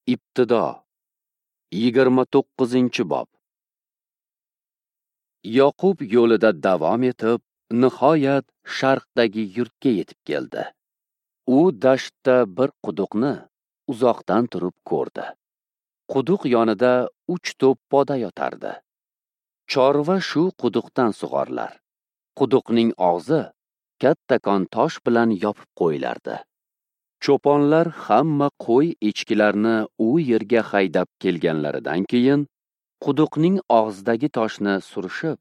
Ibtido 29-bob. Yoqub yo'lida davom etib, nihoyat sharqdagi yurtga yetib keldi. U dashtda bir quduqni uzoqdan turib ko'rdi. Quduq yonida 3 to'p poda yotardi. Chorva shu quduqdan sug'orilar. Quduqning og'zi kattakon tosh bilan yopib qo'yilardi. Cho'ponlar hamma qo'y echkilarni u yerga haydab kelganlaridan keyin quduqning og'zidagi toshni surishib,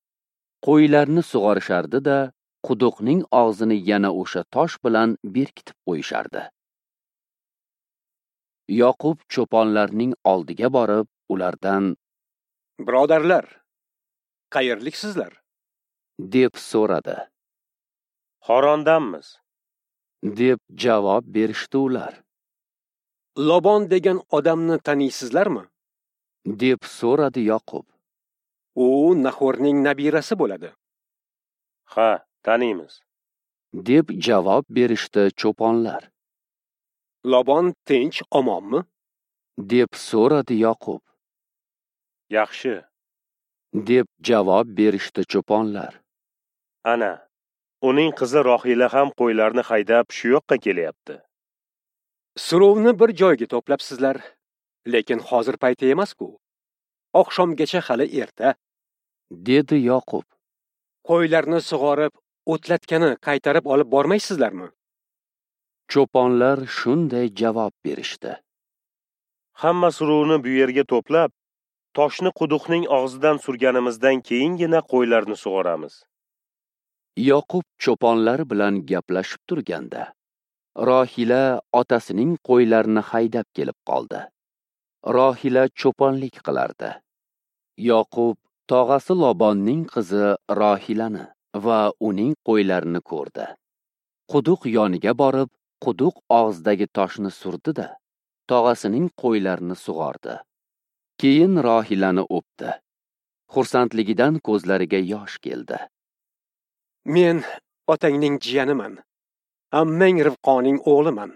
qo'ylarni sug'orishardi-da, quduqning og'zini yana o'sha tosh bilan berkitib qo'yishardi. Yoqub cho'ponlarning oldiga borib, ulardan: "Birodarlar, qayerliksizlar?" deb so'radi. "Xorondanmiz", deb javob berishdi ular. "Lobon degan odamni taniysizlarmi?" deb so'radi Yoqub. "U Nahorning nabirasi bo'ladi." "Ha, taniymiz", deb javob berishdi cho'ponlar. "Lobon tinch omonmi?" deb so'radi Yoqub. "Yaxshi", deb javob berishdi cho'ponlar. "Ana, uning qizi Rohila ham qo'ylarni haydab shu yoqqa kelyapti." "Suruvni bir joyga to'plabsizlar, lekin hozir payti emas-ku. Oqshomgacha hali erta", dedi Yoqub. "Qo'ylarni sug'orib, o'tlatgani qaytarib olib bormaysizlarmi?" Cho'ponlar shunday javob berishdi: "Hamma suruvni bu yerga to'plab, toshni quduqning og'zidan surganimizdan keyingina qo'ylarni sug'oramiz." Yoqub cho'ponlar bilan gaplashib turganda, Rohila otasining qo'ylarini haydab kelib qoldi. Rohila cho'ponlik qilardi. Yoqub tog'asi Lobonning qizi Rohilani va uning qo'ylarini ko'rdi. Quduq yoniga borib, quduq og'zidagi toshni surdi-da, tog'asining qo'ylarini sug'ordi. Keyin Rohilani o'pdi. Xursandligidan ko'zlariga yosh keldi. "Men otangning jiyaniman, ammang Rivqoning o'g'liman",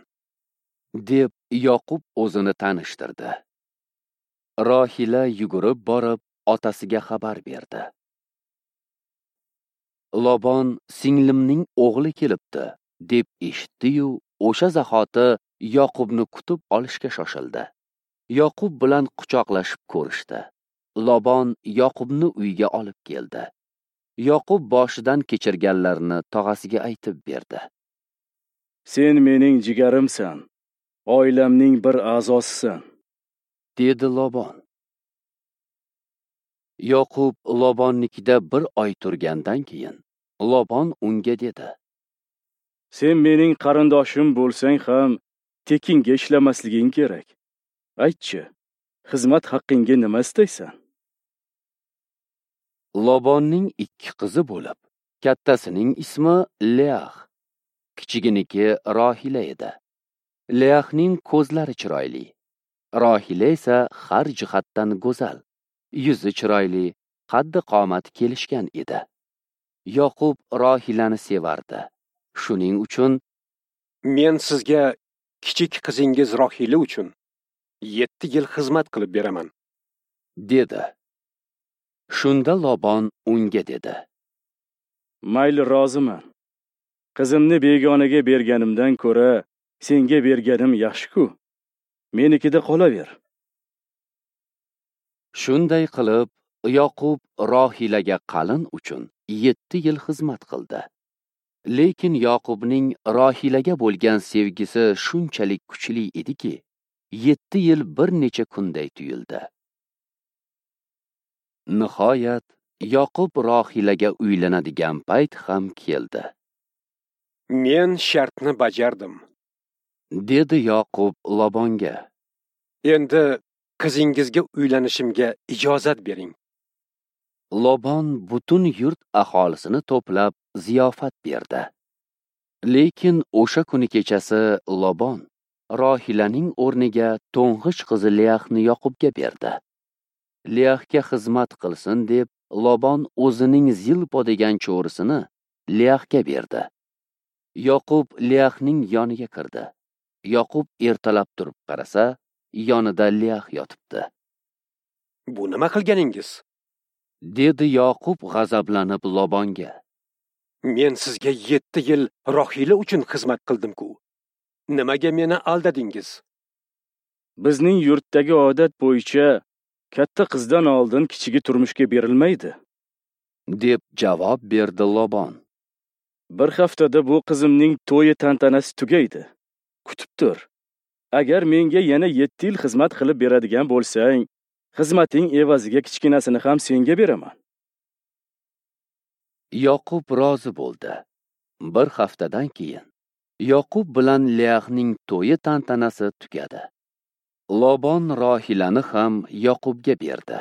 deb Yoqub o'zini tanishtirdi. Rohila yugurib borib, otasiga xabar berdi. Lobon singlimning o'g'li kelibdi, deb eshitdi-yu, o'sha zahoti Yoqubni kutib olishga shoshildi. Yoqub bilan quchoqlashib ko'rishdi. Lobon Yoqubni uyga olib keldi. Yoqub boshidan kechirganlarini tog'asiga aytib berdi. "Sen mening jigarimsan, oilamning bir a'zosisan", dedi Lobon. Yoqub Lobonnikida bir oy turgandan keyin Lobon unga dedi: "Sen mening qarindoshim bo'lsang ham tekinga ishlamasliging kerak. Aytchi, xizmat haqqingga nima istaysan?" Lobonning 2 qizi bo'lib, kattasining ismi Leah, kichiginiki Rohila edi. Leahning ko'zlari chiroyli, Rohila esa har jihatdan go'zal, yuzi chiroyli, qaddi qomati kelishgan edi. Yoqub Rohilani sevardi. Shuning uchun: "Men sizga kichik qizingiz Rohila uchun 7 yil xizmat qilib beraman", dedi. Shunda Lobon unga dedi: "Mayli, roziman. Qizimni begonaga berganimdan ko'ra senga berganim yaxshi-ku. Menikida qolaver." Shunday qilib, Yoqub Rohilaga qalin uchun 7 yil xizmat qildi. Lekin Yoqubning Rohilaga bo'lgan sevgisi shunchalik kuchli ediki, 7 yil bir necha kunday tuyuldi. Nihoyat Yoqub Rohilaga uylanadigan payt ham keldi. "Men shartni bajardim", dedi Yoqub Lobonga. "Endi qizingizga uylanishimga ijozat bering." Lobon butun yurt aholisini to'plab ziyofat berdi. Lekin o'sha kuni kechasi Lobon Rohilaning o'rniga to'ng'ich qizi Leahni Yoqubga berdi. Leahga xizmat qilsin deb Lobon o'zining Zilpo degan cho'risini Leahga berdi. Yoqub Leahning yoniga kirdi. Yoqub ertalab turib qarasa, yonida Leah yotibdi. Bu nima qilganingiz? Dedi Yoqub g'azablanib Lobonga. Men sizga 7 yil Rohila uchun xizmat qildim-ku. Nimaga meni aldadingiz? Bizning yurtdagi odat bo'yicha katta qizdan oldin kichigi turmushga berilmaydi, deb javob berdi Lobon. Bir haftada bu qizimning to'yi tantanasi tugaydi. Kutib tur. Agar menga yana 7 yil xizmat qilib beradigan bo'lsang, xizmating evaziga kichkinasini ham senga beraman. Yoqub rozi bo'ldi. Bir haftadan keyin Yoqub bilan Leahning to'yi tantanasi tugadi. Lobon Rohilani ham Yoqubga berdi.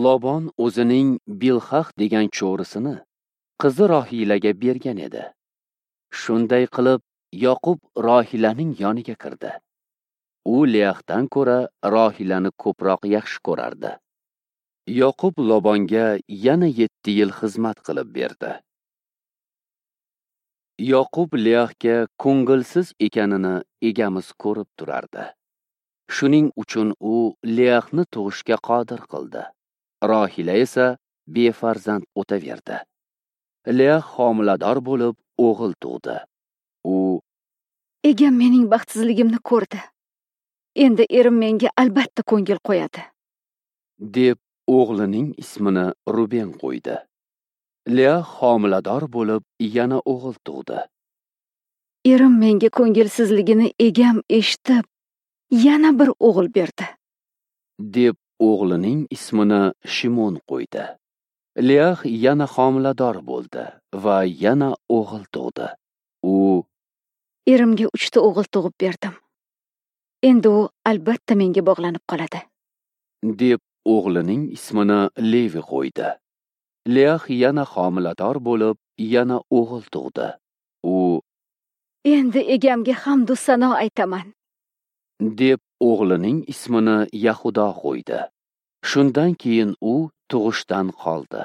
Lobon o'zining Bilhah degan cho'risini qizi Rohilaga bergan edi. Shunday qilib Yoqub Rohilaning yoniga kirdi. U Leahdan ko'ra Rohilani ko'proq yaxshi ko'rardi. Yoqub Lobonga yana 7 yil xizmat qilib berdi. Yoqub Leahga ko'ngilsiz ekanini egamiz ko'rib turardi. Shuning uchun u Leahni tug'ishga qodir qildi. Rohila esa befarzand o'taverdi. Leah homilador bo'lib o'g'il tug'di. U: Egam mening baxtsizligimni ko'rdi. Endi erim menga albatta ko'ngil qo'yadi, deb o'g'lining ismini Ruben qo'ydi. Leah homilador bo'lib yana o'g'il tug'di. Erim menga ko'ngilsizligini egam eshitib, yana bir o'g'il berdi, deb o'g'lining ismini Shimon qo'ydi. Leah yana homilador bo'ldi va yana o'g'il tug'di. U: Erimga 3 ta o'g'il tug'ib berdim. Endi u albatta menga bog'lanib qoladi, deb o'g'lining ismini Levi qo'ydi. Leah yana homilador bo'lib, yana o'g'il tug'di. U: Endi egamga hamdu sano aytaman, deb o'g'lining ismini Yahudo qo'ydi. Shundan keyin u tug'ishdan qoldi.